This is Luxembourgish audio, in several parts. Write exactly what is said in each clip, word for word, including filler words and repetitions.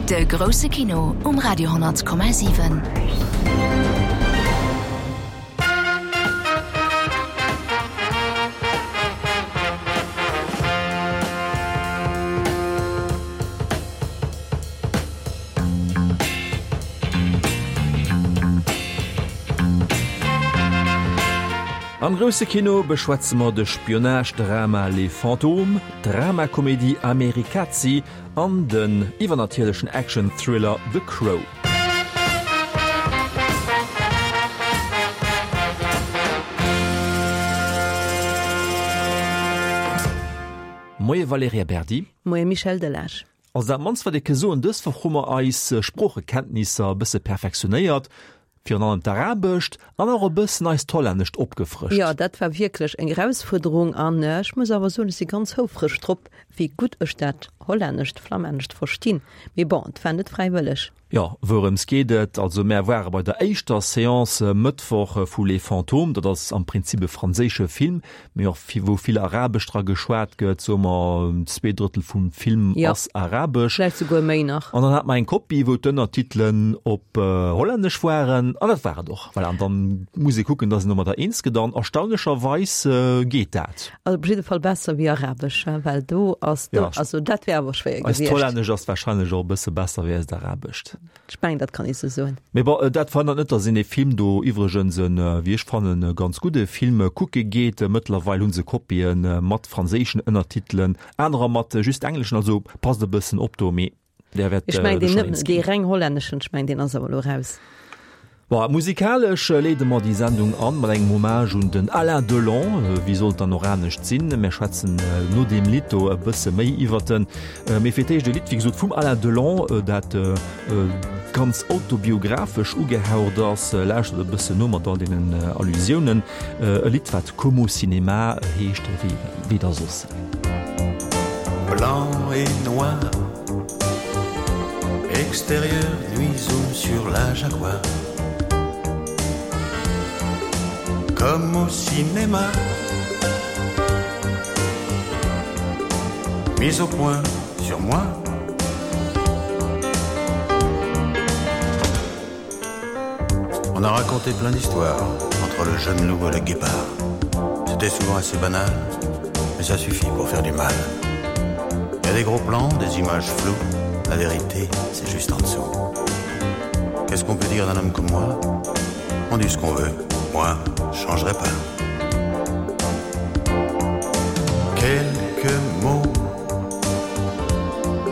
De grousse Kino um Radio honnert Komma siwen. Am grousse Kino beschwätze mer de Spionage-Drama Les Fantômes, d'Dramakomedie Amerikazi an den iwwernatierlechen Action-Thriller The Crow. Moie Valerija Berdi. Moie Michel Delage. Also dat mannst wat ee ke soen, dës Woch hu mer eis Sproochekenntnisser e bësse perfektionéiert, virun allem d'Arabescht an och e bëssen eist Hollännescht opgefrëscht. Jo, dat war wierklech eng Erausfuerderung an ech muss awer soen, ech si ganz houfreg drop, wéi gutt ech dat Hollännescht, Flammännescht verstinn. Mee bon, et war net fräiwëlleg. Jo, wourëms geet et? Also mär ware bei der éischter Seance Mëttwoch vu Les Fantômes, dat ass am Prinzip e franséische Film, mee och wou vill Arabesch dra geschwat gëtt, soe mer zwee Drëttel vum Film ass Arabesch. Vläicht souguer méi nach. An dann hate mer eng Kopie, wou d'Ënnertitelen op Hollännesch waren, an dat war et och. Voilà, an dann muss ee kucken, dass een domadder eens gëtt, an erstaunlecherweis geet dat. Also op jidde Fall besser wéi Arabesch, well do ass, do, also dat wär awer schwéier gewiescht. Eist Hollännesch ass wahrscheinlech och e bësse besser wéi eist Arabescht. Ech mengen, dat kann ee sou soen. Mee bon, dat verhënnert net, dass een dee Film do, iwwregens en, wéi ech fannen, ganz gudde Film, kucke geet. Mëttlerweil hu se Kopie mat franséischen Ënnertitelen, anerer mat just engleschen, also passt e bëssen op do, mee där wäert Ech mengen, deen, dee reng hollänneschen, ech mengen, deen ass awer elo raus. Bon, musikalesch leede mer déi Sendung an mat engem Hommage un den Alain Delon. Wéi sollt dann och anescht sinn? Mär schwätzen no deem Lidd do e bësse méi iwwert en. Mee fir d'éischt e Lidd, wéi gesot, vum Alain Delon, dat ganz autobiographesch ugehaucht ass. Lauschtert e bëssen no mat all deenen Allusiounen. E Lidd, wat Comme au cinéma heescht, wéi da soss. Blanc et noir, extérieur nuit zoom sur la Jaguar. Comme au cinéma Mise au point sur moi On a raconté plein d'histoires entre le jeune loup et le guépard. C'était souvent assez banal, mais ça suffit pour faire du mal. Il y a des gros plans, des images floues, la vérité, c'est juste en dessous. Qu'est-ce qu'on peut dire d'un homme comme moi? On dit ce qu'on veut, moi, je changerai pas. Quelques mots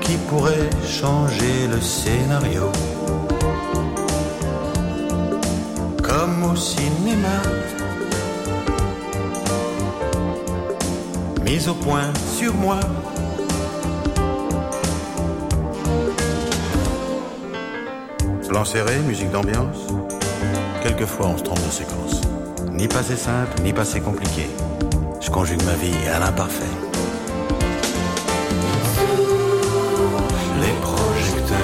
qui pourraient changer le scénario. Comme au cinéma Mise au point sur moi Plan serré, musique d'ambiance Quelquefois on se trompe de séquence Ni pas assez simple, ni pas assez compliqué Je conjugue ma vie à l'imparfait Les projecteurs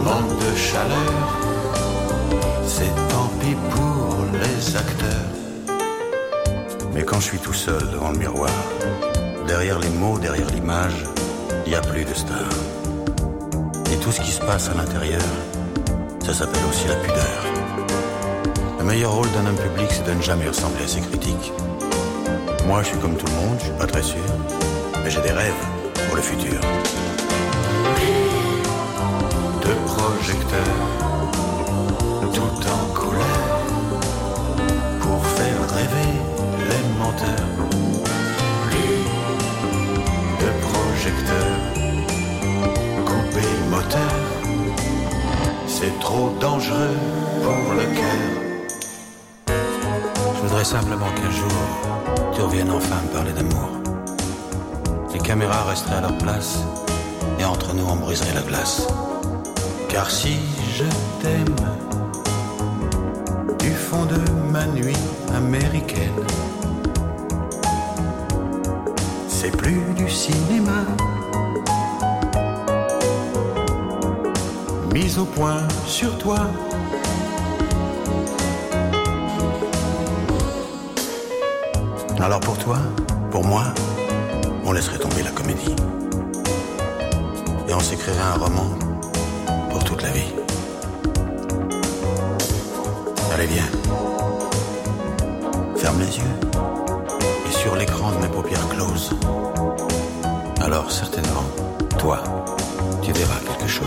manquent de chaleur C'est tant pis pour les acteurs Mais quand je suis tout seul devant le miroir Derrière les mots, derrière l'image Il n'y a plus de star Et tout ce qui se passe à l'intérieur Ça s'appelle aussi la pudeur Le meilleur rôle d'un homme public c'est de ne jamais ressembler à ses critiques Moi je suis comme tout le monde, je suis pas très sûr Mais j'ai des rêves pour le futur De projecteurs Tout en couleur Pour faire rêver les menteurs Plus de projecteurs Couper moteur C'est trop dangereux pour le cœur Je voudrais simplement qu'un jour Tu reviennes enfin me parler d'amour Les caméras resteraient à leur place Et entre nous on briserait la glace Car si je t'aime Du fond de ma nuit américaine C'est plus du cinéma Mise au point sur toi Alors pour toi, pour moi, on laisserait tomber la comédie. Et on on s'écrirait un roman pour toute la vie. Allez viens. Ferme les yeux et sur l'écran de mes paupières closes. Alors certainement, toi, tu verras quelque chose.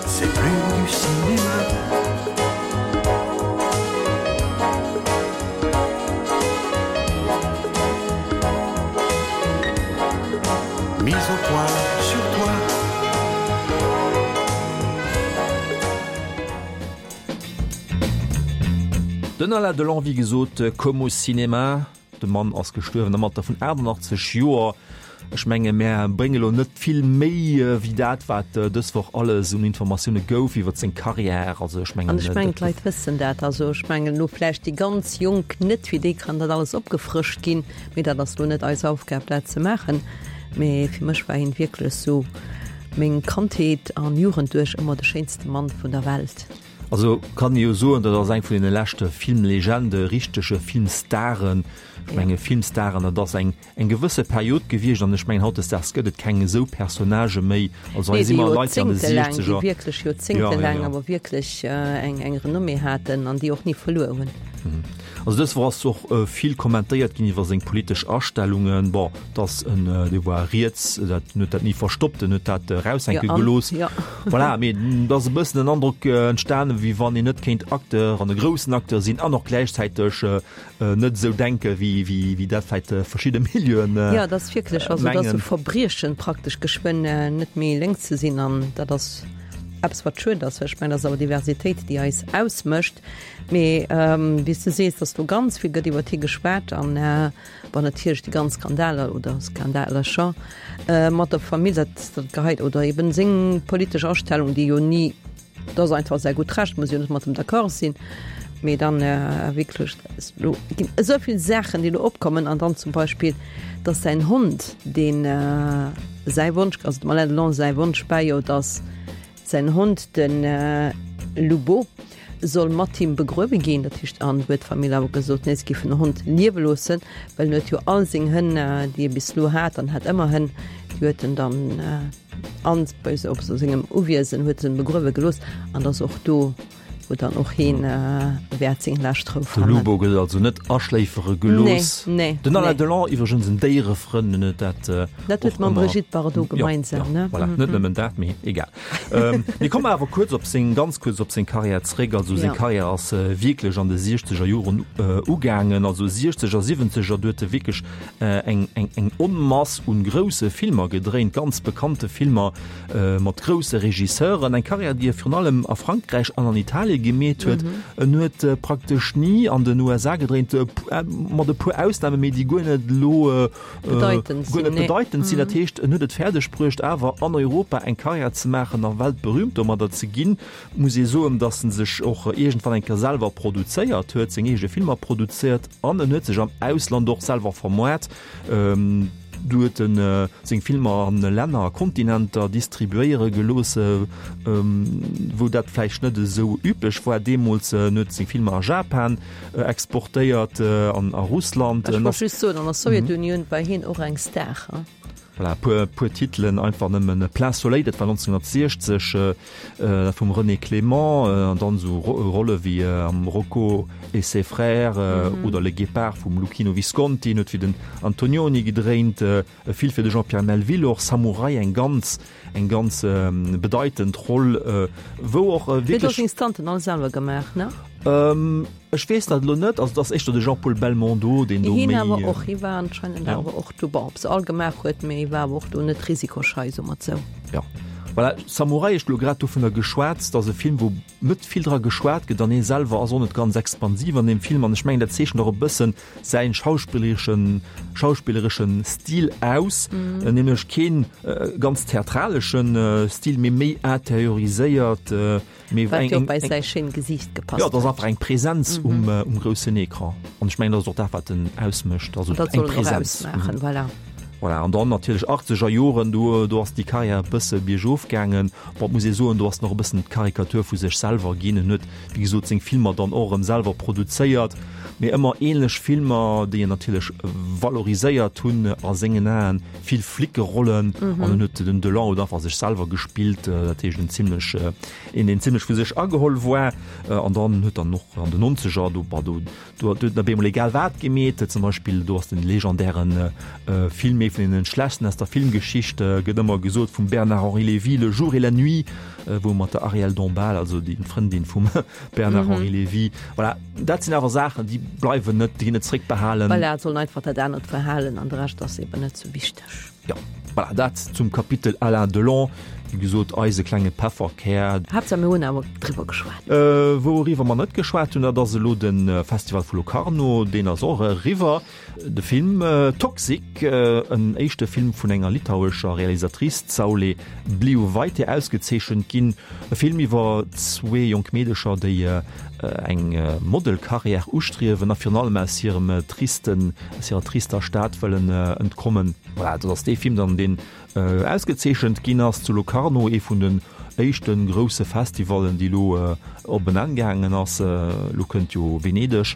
C'est plus du cinéma. Mise au point sur toi. Den Alain Delon, wéi gesot, Comme au cinéma. De Mann ass gestuerwen am Alter vun aachternachtzeg Joer. Ech menge mär brénge lo net vill méi wéi dat, wat dës Woch alles un Informatioune gouf iwwer seng Karriär. Also ech mengen, An ech mengen, d'Leit wëssen dat. Also ech mengen elo vläicht déi ganz Jonk net, fir déi kann dat alles opgefrëscht ginn, mee dat ass lo net eis Aufgab, dat ze maachen. Mee fir mech war hien wierklech sou meng Kandheet an Jugend duerch ëmmer de schéinste Mann vun der Welt. Also kann ee jo soen, dat ass eng vun deene leschte Filmlegende, richtege Filmstaren. Ech menge Filmstaren, dat ass eng eng gewësse Period gewiescht an ech mengen hautdesdaags gëtt et keng esou Personnagë méi. Also hei Nee, si déi mer Leit, déi an de joerzéngtelaang, déi Siechzeger, wierklech ja, ja, joerzéngtelaang ja. awer wierklech eng eng Renommée haten an déi och ni verluer hunn. Also dës Woch ass och vill kommentéiert ginn iwwer seng politesch Astellungen. Bon, dass en, dee war riets, dat en huet dat ni verstoppt, en huet dat eraushänke Jo, an, gelooss. jo. Voilà, mee et ass e bëssen den Androck entstanen, wéi wann een net kéint Acteur an e groussen Acteur sinn an och gläichzäiteg net esou denke wéi, wéi, wéi dat vläicht verschidde Milieuen Jo, dat ass wierklech, also dat ass mengen. e Verbriechen praktesch geschwënn net méi lénks ze sinn an dat ass eppes wat schued ass, well ech mengen, dat ass awer Diversitéit, déi eis ausmécht. Mee wéi s de sees, dass do ganz vill gëtt iwwer hie geschwat an bon natierlech déi ganz Skandaler oder Skandalercher mat der Famill, dat dat geheit oder eben seng politesch Astellung, déi jo ni, dat ass einfach säi gutt Recht, muss jo net mat em d'accord sinn, mee dann wierklech elo ginn esou vill Saachen, déi elo opkommen an dann zum Beispill, dass säin Hond, deen säi Wonsch, also dem Alain Delon säi Wonsch war jo, dass säin Hond, de Lubo, soll mat him begruewe ginn. Dat heescht, an huet d'Famill awer gesot, nee, se géifen den Hond liewe loossen, well en huet jo all seng Hënn, déi e bis elo hat, an hat ëmmer Hënn, déi huet en dann an bei op sengem Uwiesen huet en begruewe gelooss. An dass och do, wou dann och hien wäert seng lescht Rou De fannen. Lubo gëtt also net aschléifere gelooss. Nee, nee, Den Alain nee. Delon iwwregens en Déierefrënn, en huet dat Dat huet och mam ëmmer, Brigitte Bardot ja, gemeinsam, ja, ne? voilà, net nëmmen dat, mee egal. Mir kommen awer kuerz op seng, ganz kuerz op seng Karriär zréck. Also seng Ja. Karriär ass wierklech an de siechzeger Joren ugaangen, also siechzeger, siwwenzeger, do huet e wierklech eng, eng, eng Onmass un grousse Filmer gedréint, ganz bekannte Filmer mat grousse Regisseuren. Eng Karriär, déi e virun allem a Frankräich an an Italien gemeet huet. En huet praktesch ni an den U S A gedréint, mat e puer Ausnamen, mee déi guer net elo Bedeitend guer sinn, net nee. bedeitend sinn. Dat heescht, en huet et fäerdeg bruecht, awer an Europa eng Karriär ze maachen a weltberühmt domadder ze ginn. Muss ee soen, datt en sech och iergendwann eng Kéier selwer produzéiert huet, seng eege Filmer produzéiert an en huet sech am Ausland och selwer vermoart. Du huet en seng Filmer an Länner a Kontinenter distribuéiere gelooss, wou dat vläicht net esou üblech war deemools. En huet seng Filmer a Japan exportéiert an a Russland. Ech wollt just soen, an der Sowjetunioun war hien och eng Star. Voilà, e puer, puer Titelen einfach nëmmen. Plein Soleil, dat war neunzehnhundertsechzeg, dat vum René Clément, an dann esou Rolle wéi am Rocco et ses frères oder Le Guépard vum Luchino Visconti, en huet fir den Antonioni gedréint, vill fir de Jean-Pierre Melville och, Samurai, eng ganz, eng ganz bedeitend Roll, wou och Huet och wierklech. seng Stunten all selwer gemaach, ne? Ech weess dat elo net, also et ass éischter de Jean-Paul Belmondo, deen do Hien méi. awer och, hie war anscheinend Ja. awer och do, bon, ob se all gemaach huet, mee hie war awer och do net risikoschei, soe mer et sou. Ja. Voilà, Samurai, ech hu lo grad dovunner geschwat, dat ass e Film, wou net vill dra geschwat gëtt an hie selwer ass och net ganz expansiv an deem Film an ech mengen, dat zeechent och e bëssen säin schauspillereschen, schauspillereschen Stil aus, nämlech keen ganz theatraleschen Stil, mee méi interioriséiert, mee Wat eng, jo eng, bei eng säi schéint Gesiicht gepasst Ja, dat ass huet. einfach eng Präsenz um, um groussen Ecran. An ech mengen, dat ass och dat, wat en ausmécht, also An dat eng soll en och Präsenz. ausmaachen, voilà. Voilà, an dann natierlech achtzeger Joren, do, do ass déi Karriär e bësse biergof gaangen. Bon, et muss ee soen, do ass en och e bëssen d'Karikatur vu sech selwer ginn. En huet, wéi gesot, seng Filmer dann och erëm selwer produzéiert, mee ëmmer ähnlech Filmer, déi en natierlech valoriséiert hunn a sengen Aen, vill Flickerollen. An en huet, den Delon huet einfach sech selwer gespillt, dat heescht en zimlech, een, deen zimlech vu sech ageholl war. An dann huet dann och an den Nonzeger, do, bah, do, Do huet en op eemol egal wat gemeet, zum Beispill do ass den legendären Film, ee vun den schlechtsten aus der Filmgeschicht, gëtt ëmmer gesot, vum Bernard-Henri Lévy, Le jour et la nuit, wou mat der Arielle Dombasle, also déi Frëndin vum Bernard-Henri Lévy. Voilà, dat sinn awer Saachen, déi bleiwen net, déi ginn net zréckbehalen. Voilà, et soll einfach dat anert verhalen an de Rescht ass eben net sou wichteg. Jo, voilà, dat zum Kapitel Alain Delon. Wéi gesot, eise klenge Pefferkär. Haaptsaach mir hunn awer driwwer geschwat. Wouriwwer mer net geschwat hunn, dat ass elo de Festival vu Locarno, deen ass och eriwwer. De Film Toxic, en éischte Film vun enger litauescher Realisatrice, d'Saulė Bliuvaitė, ausgezeechent ginn. E Film iwwer zwee jonk Meedecher, déi eng Modelkarriär ustriewen a virun allem aus hirem tristen, aus hirer trister Stad wëllen entkommen. Voilà, dat ass dee Film dann, deen ausgezeechent ginn ass zu Locarno, ee vun den éischte grousse Festivallen, déi elo op en Enn gaangen ass. Elo kënnt jo Venedeg.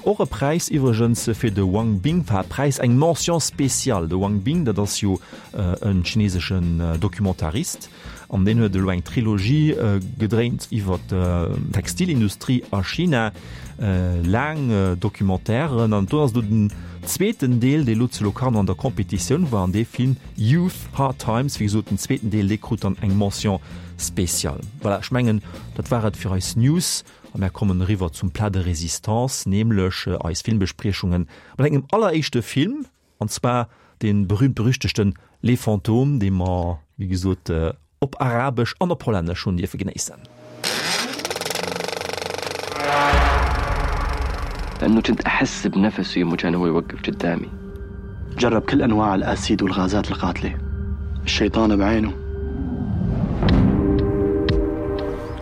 Och e Präis iwwregens fir de Wang Bing, enfin Präis, eng Mention spéciale. De Wang Bing, dat ass jo e chineseschen Documentarist an deen huet elo eng Trilogie gedréint iwwer d'Textilindustrie a China. Laang Documentairen an do ass elo den zweeten Deel, dee lo zu Locarno an der Competitioun war, an dee Film Youth, Hard Times, wéi gesot den zweeten Deel, dee krut dann eng Mention spéciale. Voilà, ech mengen, dat war et fir eis News a mär kommen eriwwer zum Plat de résistance, nämlech eis Filmbespriechungen mat engem alleréischte Film, an zwar dee berühmt-berüchtegten Les Fantômes, dee mer, wéi gesot, op Arabesch an op Hollännesch hunn dierfe genéissen. لأنه كنت أحس بنفسه يوم كان هو يوقف قدامي جرب كل أنواع الأسيد والغازات القاتلة الشيطان بعينه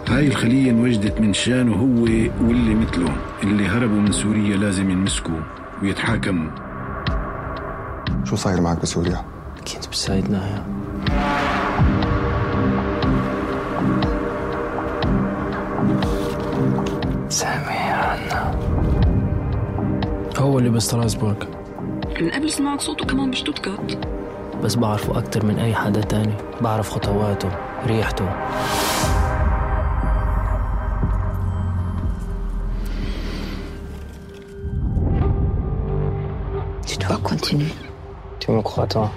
هاي الخلية انوجدت من شانه هو واللي مثله اللي هربوا من سوريا لازم ينمسكوا ويتحاكموا شو صاير معك بسوريا؟ كنت بسايدنايا سامي عنا هو اللي بستراسبورغ من قبل سمعت صوته كمان بشتوتغارت بس بعرفه أكتر من أي حدا تاني بعرف خطواته ريحته Tu dois continuer. Tu me crois, toi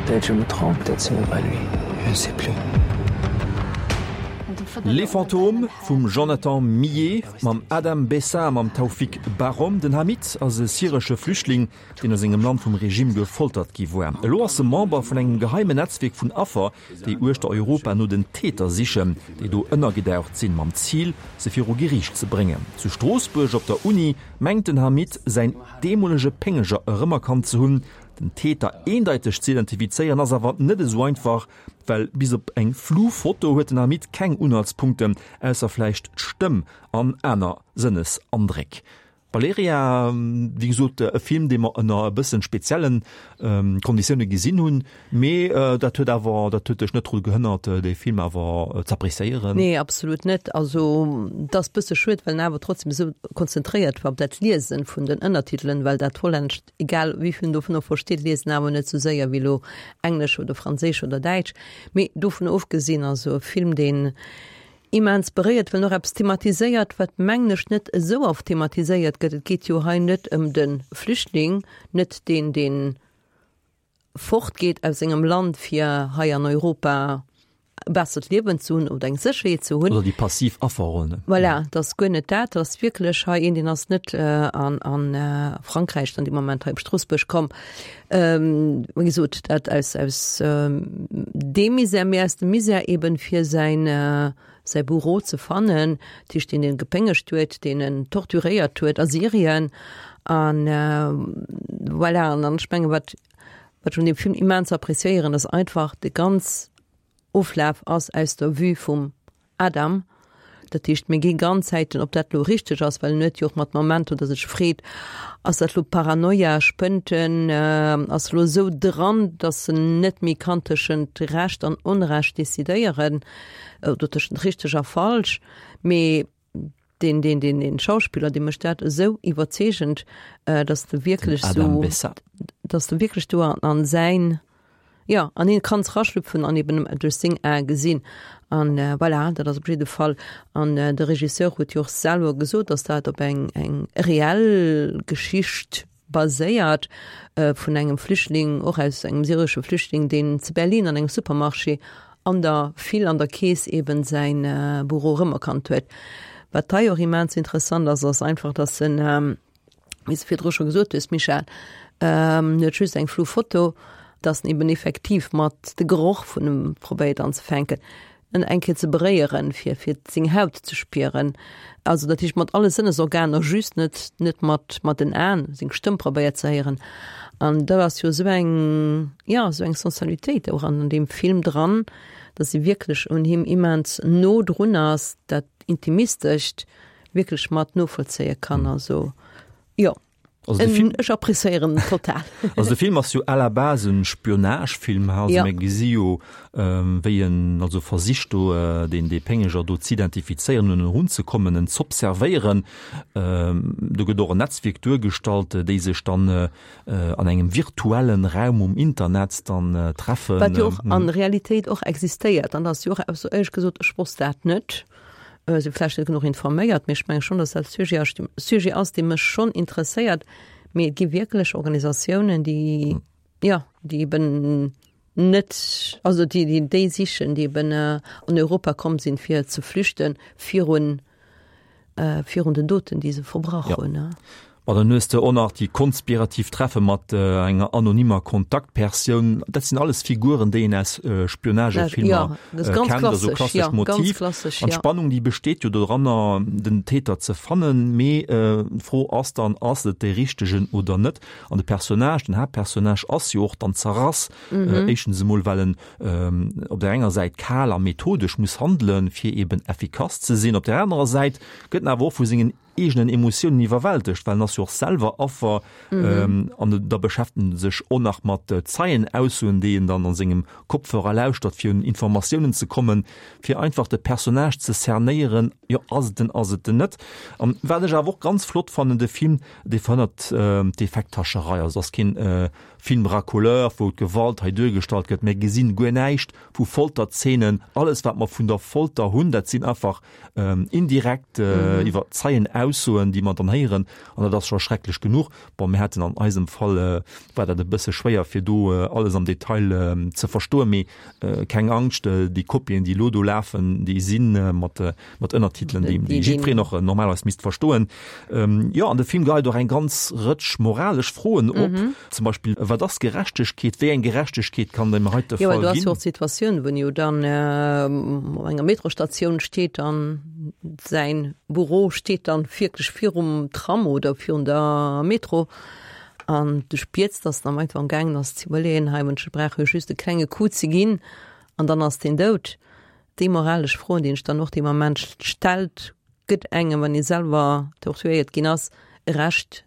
Peut-être je me trompe, peut-être c'est même pas lui. Je ne sais plus. Les Fantômes vum Jonathan Millet mam Adam Bessa a mam Tawfeek Barhom. Den Hamid ass e syresche Flüchtling, deen a sengem Land vum Regime gefoltert gi war. Elo ass e Member vun engem geheimen Netzwierk vun Affer, déi uechter Europa no den Täter sichen, déi do ënnergedaucht sinn, mam Zil, se viru Geriicht ze bréngen. Zu Stroossbuerg op der Uni mengt den Hamid, säin deemolege Péngeger erëmerkannt ze hunn. Den Täter eendeiteg ze identifizéieren ass awer net esou einfach, well bis op eng flu Foto huet den Hamid keng Unhaltspunkten, ausser vläicht d'Stëmm an aner Sënnesandréck. Valerija, wéi gesot, e Film, dee mer ënner e bëssen speziellen Konditioune gesinn hunn, mee dat huet awer, dat huet dech net dru gehënnert, dee Film awer z'appréciéieren. Nee, absolut net. Also, et ass bësse schued, well en awer trotzdem esou konzentréiert war op dat Liesen vun den Ënnertitelen, well dat Hollännescht, egal wéi vill en dovunner versteet, liest en awer net esou séier wéi elo Englesch oder Franséisch oder Däitsch. Mee dovun ofgesinn, also e Film, deen immens beréiert, well en och eppes thematiséiert, wat, mengen ech, net esou oft thematiséiert gëtt. Et geet jo hei net ëm de Flüchtling, net deen, deen fortgeet aus sengem Land, fir hei an Europa e bessert Liewen ze hunn oder eng Sécherheet ze hunn. Oder déi passiv Afferroll. Voilà, dat ass guer net dat. Dat ass wierklech hei een, deen ass net an a Frankräich dann dee Moment hei op Stroossbuerg komm. Wéi gesot, dat aus aus deem Misär, mee aus dem Misär eben, fir säin säi Bourreau ze fannen, dat heescht deen en gepéngegt huet, deen en torturéiert huet a Syrien. An voilà, an dann ech menge wat wat ech un deem Film immens appréciéieren, ass einfach de ganz Oflaf ass aus der Vue vum Adam, Dat heescht, mir gi ganz Zäiten, ob dat lo richteg ass, well en huet jo och mat Momenter, datt e sech freet, ass dat lo Paranoia, spënnt en, ass e lo esou dran, datt en net méi kann tëschent Recht an Onrecht decidéieren oder tëschent richteg a falsch. Mee deen, deen, deen, deen Schauspiller, dee mécht dat esou iwwerzeegend, datt de wierklech esou, datt de wierklech do an säin, Jo, an hien kanns raschlüpfen an eben duerch seng Ae gesinn. An voilà, dat ass op jidde Fall. An de Regisseur huet jo och selwer gesot, datt dat op eng eng reell Geschicht baséiert vun engem Flüchtling, och aus engem syresche Flüchtling, deen zu Berlin an engem Supermarché an der File an der Kees eben säin Büro erëmerkannt huet. Wat hei och immens interessant ass, ass einfach, datt en, wéi s de virdru scho gesot hues, Michèle, en huet just eng flou Foto, dass en eben effektiv mat de Geroch vun em probéiert anzefänken, en eng Kéier ze beréieren, fir fir seng Haut ze spieren. Also dat heescht mat alle Sënnesorganer, just net net mat mat den Aen, seng Stëmm probéiert ze héieren. An dat ass jo esou eng, jo, esou eng Sensualitéit och an deem Film dran, dass si wierklech un him immens no drun ass, dat Intimistescht wierklech mat novollzéie kann. Also jo. Also de Film, Ech appréciéieren en total. Also de Film ass jo à la base en Spionagefilm, also Ja. mir gesi jo wéi en also versicht do deen dee Péngeger do z'identifizéieren, un en erunzekommen, en z'observéieren. Do gëtt och en Netzwierk duergestallt, déi sech dann an engem virtuellen Raum um Internet dann treffen. Wat jo och an Realitéit och existéiert an dat ass jo och eppes, éierlech gesot, ech wosst dat net. Si vläicht net genuch informéiert, mee ech menge schonn, datt dat Sujet ass, Sujet ass, dee mech schonn interesséiert. Mee et gi wierklech Organisatiounen, déi, jo, déi eben net, also déi, déi déi sichen, déi eben an Europa komm sinn, fir ze flüchten virun, virun den Doten, déi se verbrach hunn. Ma dann hues de och nach déi konspirativ Treffe mat enger anonymer Kontaktpersoun. Dat sinn alles Figuren, déi een aus Spionagefilmer kennt, also klassescht Motiv. An d'Spannung, déi besteet jo doranner, den Täter ze fannen. Mee d'Fro ass dann, ass et dee Richtegen oder net? An de Personnage, den Haaptpersonnage ass jo och dann zerrass. Éischtens emol, well en op där enger Säit kal a methodesch muss handelen, fir eben effikass ze sinn. Op där anerer Säit gëtt en awer och vu sengen eegenen Emotiounen iwwerwältegt, well en ass jo och selwer Affer an da beschäftegt en sech och nach mat Zeienaussoen, déi en dann a sengem Kopfhörer lauschtert, fir un Informatiounen ze kommen, fir einfach de Personnage ze cernéieren, jo ass et en, ass et en net. An wat ech awer och ganz flott fannen, de Film, dee verhënnert d'Effekthascherei, also et ass keen Film racoleur, wou d'Gewalt hei duergestallt gëtt, mir gesinn guer näischt vu Folterzeenen, alles wat mer vun der Folter hunn, dat sinn einfach indirekt iwwer Zeienaussoen, déi mer dann héieren, an dat ass scho schrecklech genuch. Bon, mir haten an eisem Fall, war dat e bësse schwéier fir do alles am Detail ze verstoen, mee keng Angscht, déi Kopien, déi elo do lafen, déi si mat mat Ënnertitelen, déi déi jiddwereen och normalerweis misst verstoen. Jo, an de Film geheit och eng ganz Rëtsch moralesch Froen op, zum Beispill, Wat ass Gerechtegkeet? Wéi eng Gerechtegkeet kann et am heite Jo, well Fall do ass jo ginn? och d'Situatioun, wou en jo dann op enger Metrostatioun steet an säin Büro steet dann wierklech virum Tram oder virun der Metro an du spiers, dass en am einfach am gaangen ass ze iwwerleeën, hei ech brauch jo just e klenge Coup ze ginn an dann ass deen dout. Déi moralesch Froen, déi een sech dann och dee Moment stellt, gëtt engem, wann ee selwer torturéiert ginn ass, e Recht,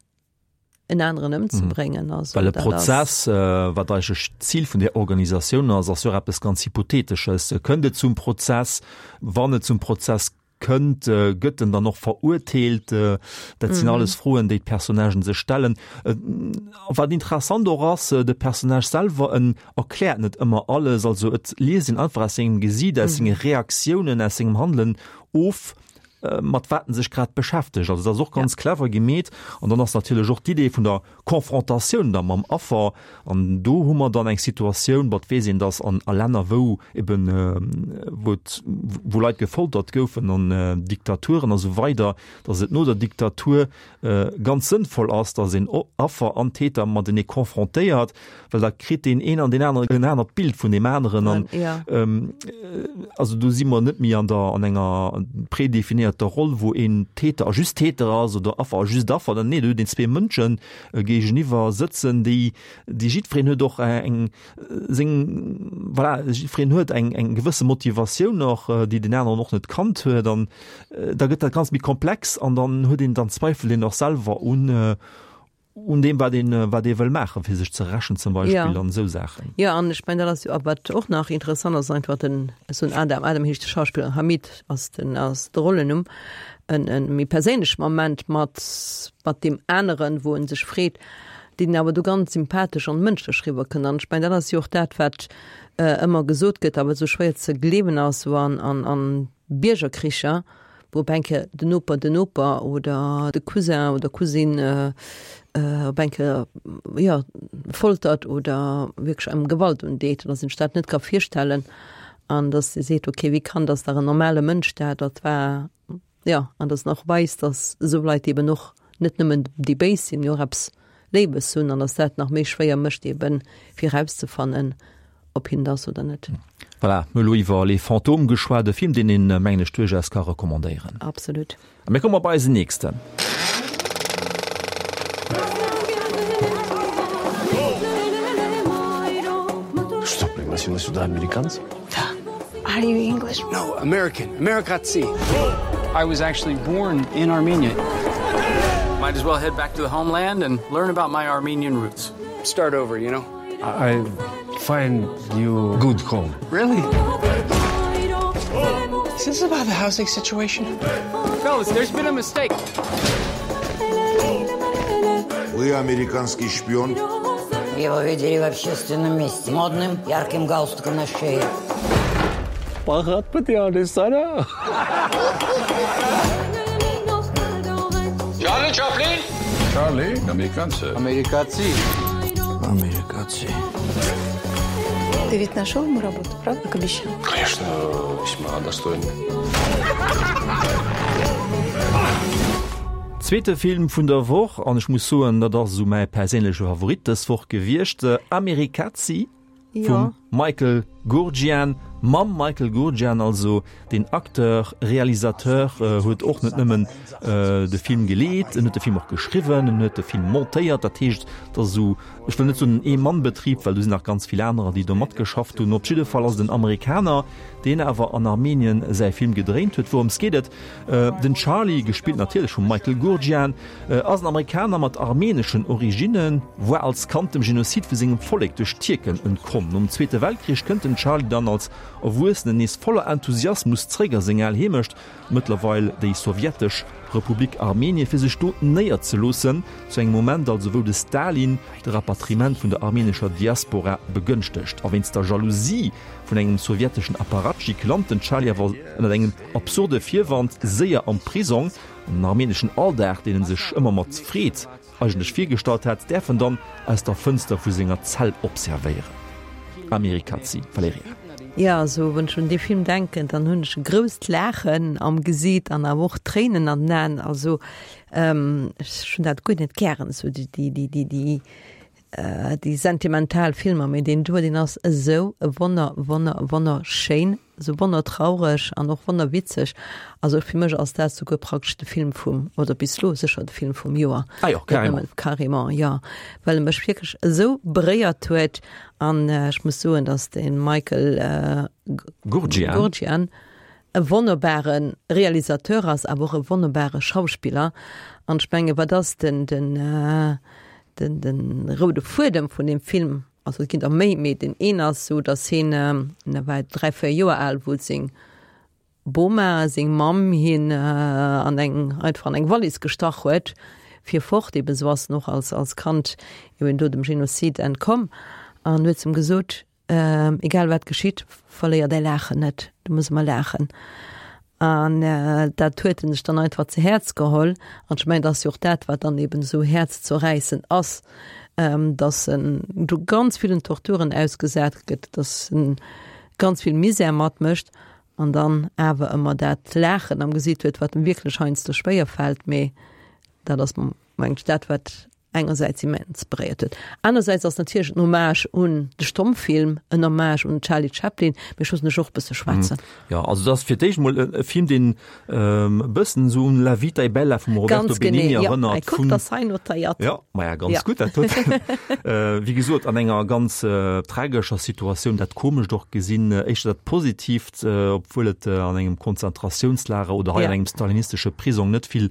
en aneren ëmzebréngen. Also Well e dat ass. Prozess, wat eigentlech d'Zil vun där Organisatioun ass, ass jo och eppes ganz Hypothetesches. Kënnt et zum Prozess? Wann et zum Prozess kënnt, gëtt en dann och verurteelt? Dat sinn alles Froen, déi d'Personnagen sech stellen. Wat interessant och ass, de Personnage selwer, en erkläert net ëmmer alles. Also et liest een einfach aus sengem Gesiit, aus senge Reaktiounen, aus sengem Handelen of, mat wat en sech grad beschäftegt. Also dat ass och ganz clever gemeet. An dann ass natierlech och d'Idee vun der Confrontatioun da mam Affer. An do hu mer dann eng Situatioun, bon, et weess een, datt an a Länner, wou eben, wou et, wou Leit gefoltert goufen an Diktaturen a sou weider, datt et no der Diktatur ganz sënnvoll ass, datt een Affer an Täter matenee confrontéiert, well da kritt deen een an deen aneren en anert Bild vun deem aneren. An also do si mer net méi an der, an enger prédéfinéierter definéierter Roll, wou een Täter a just Täter ass oder Affer a just Affer, dann nee, do huet een zwee Mënsche géigeniwwer sëtzen, déi, déi jiddwereen huet och eng seng, voilà, jiddwereen huet eng eng gewësse Motivatioun och, déi den aneren och net kannt huet an da gëtt dat Ganzt méi komplex an dann huet een, dann zweifelt een och selwer un un deem wat een wat ee wëll maachen, fir sech ze rächen zum Beispill Ja. an esou Saachen. Ja, an ech mengen dat ass jo, a wat och nach interessant ass, einfach den esou en Adam, Adam heescht de Schauspiller, Hamid ass den ass de Rollennumm, en en méi perséinleche Moment mat mat deem aneren, wou en sech freet, deen awer do ganz sympathesch an mënschlech riwwer kënnt. An ech mengen dat ass jo och dat wat ëmmer gesot gëtt, awer esou schwéier ze gleewen ass, sou an an an Biergerkricher, wou op eng Kéier den Noper den Noper oder de Cousin oder Cousine op eng Kéier, jo, foltert oder wierklech engem Gewalt undeet, dass een sech dat net ka virstellen an dass ee seet, okay, wéi kann dass dach en normale Mënsch dat, dat war, jo, an dass en och weist, dass esou Leit eben och net nëmmen déi Béis sinn, mee och eppes Léiwes hunn an dass dat nach méi schwéier mécht eben fir erauszefannen, ob hien et ass oder net. Voilà, mir hu elo iwwer Les Fantômes geschwat, e Film, deen een, mengen ech, duerchaus ka recommandéieren. Absolut. A mir komme bei eisen nächsten. Что, пригласила сюда американцев? Да. Are you English? No, American. Americatsi. I was actually born in Armenia. Might as well head back to the homeland and learn about my Armenian roots. Start over, you know? I find you good home. Really? Is this about the housing situation? Fellas, there's been a mistake. Вы американский шпион? Его видели в общественном месте модным ярким галстуком на шее. Charlie Chaplin? Charlie, Amerikanze. Amerikazi. Amerikazi. Ты ведь нашел ему работу, правда, как обещал? Конечно, весьма достойный. Zweete Film vun der Woch, an ech muss soen, dat ass esou mäi perséinleche Favorit dës Woch gewiescht, Amerikazi vum Michael Goorjian, mam Michael Goorjian, also den Acteur, Realisateur, huet och net nëmmen de Film geleet, en huet de Film och geschriwwen, en huet de Film montéiert, dat heescht, et ass esou, ech wëll net soen en Ee-Mann-Betrib, well do sinn nach ganz vill anerer, déi do matgeschafft hunn. Op jidde Fall ass et en Amerikaner, deen awer an Armenien säi Film gedréint huet. Wourëms geet et? Den Charlie, gespillt natierlech vum Michael Goorjian, ass en Amerikaner mat armeneschen Originnen, war als Kand dem Genozid vu sengem Vollek duerch d'Tierken entkomm. Nom Zweete Weltkrich kënnt den Charlie dann als Erwuessenen nees voller Enthusiasmus zréck a seng al Heemecht, mëttlerweil déi sowjetesch Republik Armenien, fir sech do néierzeloossen, zu engem Moment also wou de Stalin de Rapatriement vun der armenescher Diaspora begënschtegt. A wéinst der Jalousie vun engem sowjeteschen Apparatschik lant den Charlie awer ënnert engem absurde Virwand séier am Prisong. An den armeneschen Alldag, deen en sech ëmmer mat Freed eigentlech virgestallt hat, däerf en dann aus der Fënster vu senger Zell observéieren. Amerikazi, Valerija. Jo, also wann ech un dee Film denken, dann hunn ech e grousst Laachen am Gesiit an awer och Tréinen an den Aen. Also ech hunn dat guer net gären, esou déi, déi, déi, déi, déi sentimental Filmer, mee deen do, deen ass esou wonner, wonner, wonnerschéin, esou wonnertraureg an och wonnerwitzeg. Also fir mech ass dat souguer praktesch de Film vum, oder bis elo sécher de Film vum Joer. Ah jo, carrément. Carrément, jo, well e mech wierklech esou beréiert huet. An ech muss soen, datt de Michael Goorjian. Goorjian e wonnerbare Realisateur ass, awer och e wonnerbare Schauspiller. An ech menge wat ass den, den, den, den roude Fuedem vun deem Film? Also et ginn der méi, mee deen een ass esou, datt hien, da war dräi, véier Joer al, wou seng Boma, seng Mamm, hien an eng, einfach an eng Wallis gestach huet, fir fort, eben esou ass en och als, als Kand eben do dem Genozid entkomm, an huet zum gesot, egal wat geschitt, verléier däi Laachen net, du muss ëmmer laachen. An dat huet en sech dann einfach ze Häerz geholl. An ech mengen, dat ass jo och dat, wat dann eben esou häerzzerräissend ass, dass en do ganz villen Torturen ausgesat gëtt, dass en ganz vill Misär matmécht an dann awer ëmmer dat Laachen am Gesiit huet, wat em wierklech heiansdo schwéier fält. Mee dat ass, mengen ech, dat, wat engersäits immens beréiert huet. Anersäits ass natierlech en Hommage un de Stommfilm, en Hommage un den Charlie Chaplin, mee ech loossen dech och e bësse schwätzen. Jo, also dat ass fir d'éischt mol e Film, deen e bëssen esou un La vita è bella vum Roberto Ganz genee, Benigni jo. erënnert. Hei, kuck, dat ass hei notéiert. Jo, maja, ganz Ja. gutt dat doten. Wéi gesot, an enger ganz tragescher Situatioun dat Komescht och gesinn, éischter dat Positiivt, obwuel et an engem Konzentratiounslager oder hei Ja. an engem stalinistesche Prisong net vill,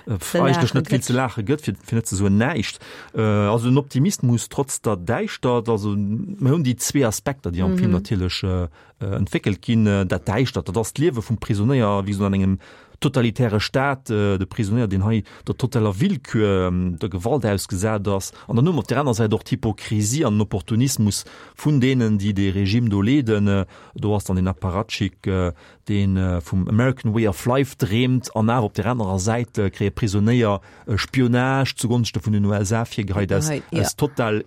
Ze eigentlech laache net vill gëtt. ze laache gëtt, fir, fir net ze soen näischt. Also en Optimismus trotz der Däischtert. Also mir hunn déi zwee Aspekter, déi am Film Mhm. natierlech entwéckelt ginn. Dat Däischtert, dat ass d'Liewe vum Prisonéier, wéi gesot an engem totalitäre Staat, de Prisonéier, deen hei der totaler Willkür, der Gewalt ausgesat ass. An dann hu mer op där aner Säit och d'Hypokrisie an den Opportunismus vun deenen, déi dee Regime do leeden. Do ass dann deen Apparatschik, dee vum American Way of Life dreemt an awer op där anerer Säit kréie Prisonéier Spionage zugonschte vun den U S A virgeheit aus, aus total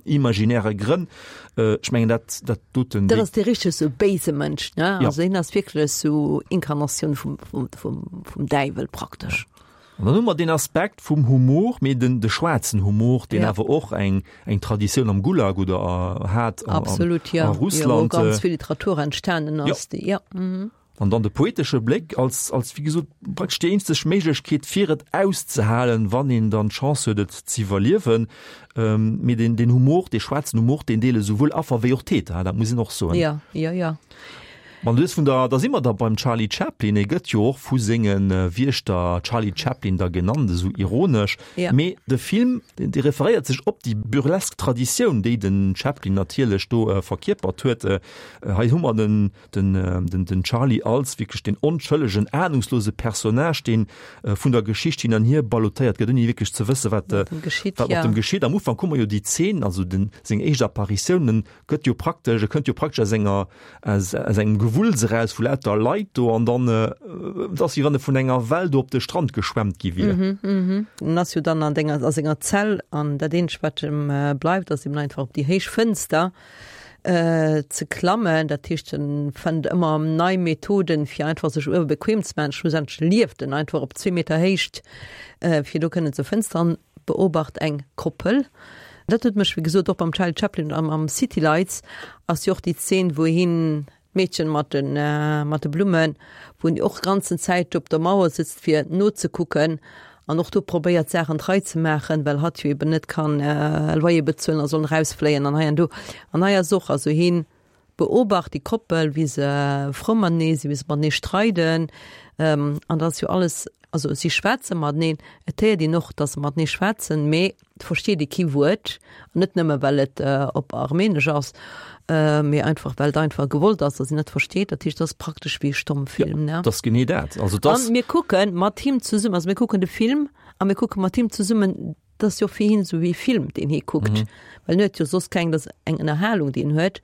imaginäre Grënn. Ech mengen, dat, dat doten. Dat ass dee richteg sou béise Mënsch, ne? Ja. Also hien ass wierklech sou Inkarnatioun vum, vum, vum, vum Däiwel praktesch. An dann hu mer deen Aspekt vum Humor, mee den, de schwaarzen Humor, deen Ja. awer och eng, eng Traditioun am Gulag oder hat an, Absolut, ja. a Russland. Ja, wou ganz vill Literatur entstanen Ja. ass, déi, ja. Mhm. An dann de poetesche Bléck als, als wéi gesot, praktesch déi eenzeg Méiglechkeet, fir et auszehalen, wann een dann d'Chance huet, et z'iwwerliewen. Ähm, mee den, den Humor, dee schwaarzen Humor, deen deele souwuel Affer wéi och Täter, dat muss een och soen. Ja, ja, ja. Wann du es vun der, da si mer da beim Charlie Chaplin, e gëtt jo och vu sengen Wiechter Charlie Chaplin da genannt, esou ironesch. Ja. Mee de Film, deen, dee referéiert sech op déi burlesk Traditioun, déi den Chaplin natierlech do verkierpert huet. Hei hu mer den, den, den, den Charlie als wierklech den onschëllegen, ahnungslose Personnage, deen vun der Geschicht hin an hier ballottéiert gëtt, ouni wierklech ze wësse wat, Wat em geschitt, wat mat ja. em geschitt. Am Ufank hu mer jo déi Zeen, also den, seng éischt Apparitiounen, gëtt jo praktesch, e kënnt jo praktesch aus enger, aus, aus engem Gewulls eraus vu lauter Leit do an dann, et ass wéi wann e vun enger Well do op de Strand geschwemmt gi wier. Mhm, mhm. En ass jo dann an denger, a senger Zell an dat eenzegt wat em bleift ass eben einfach op déi héich Fënster ze klammen. Dat heescht en fënnt ëmmer nei Methoden fir einfach sech uewe bequem ze maachen. Schlussendlech lieft en einfach op zwee Meter Héicht fir do kënnen ze fënsteren, beobacht eng Koppel. Dat huet mech wéi gesot och beim Charlie Chaplin am, am City Lights ass jo och déi Zeen wou hien d'Meedchen mat den, mat de Blummen, wou en och ganzen Zäit op der Mauer sitzt fir nozekucken an och do probéiert Saachen d'Rei ze maachen, well hatt jo eben net kann Loyer bezuelen a soll rausfléien an hei an do. An hei ass och, also hien beobacht déi Koppel, wéi se frou matenee sinn, wéi se matenee streiden an dat ass jo alles, also si schwätze mateneen, et héiert een och, datt se matenee schwätzen, mee et versteet ee kee Wuert, an net nëmme well et op Armenesch ass, mee einfach well et einfach gewollt ass, datt een net versteet. Dat heescht, dat ass praktesch wéi e Stommfilm, ne? Ja, dat ass genee dat. Also dat An mir kucke mat him zesummen, also mir kucken de Film a mir kucke mat him zesummen, dat ass jo fir hien esou wéi e Film, deen hie kuckt, well en huet jo soss keng, dat ass eng Ënnerhalung, déi en huet,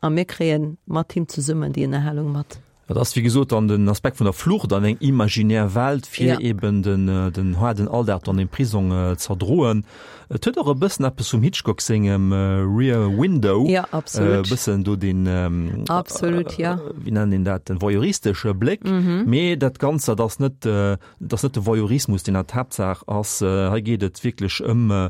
a mir kréie mat him zesummen déi Ënnerhalung mat. Dat ass wéi gesot dann den Aspekt vun der Flucht an eng imaginär Welt, fir Ja. eben den, den haarden Alldag dann im Prisong z'erdroen. Et huet och e bëssen eppes vum Hitchcock sengem Rear Window. Ja, absolut. E bëssen do den, Absolut, ja. wéi nennt een dat, den voyeuristesche Bléck. Mhm. Mee dat Ganzt, dat ass net, dat ass net de Voyeurismus, deen an d'Haaptsaach ass. Hei geet et wierklech ëm,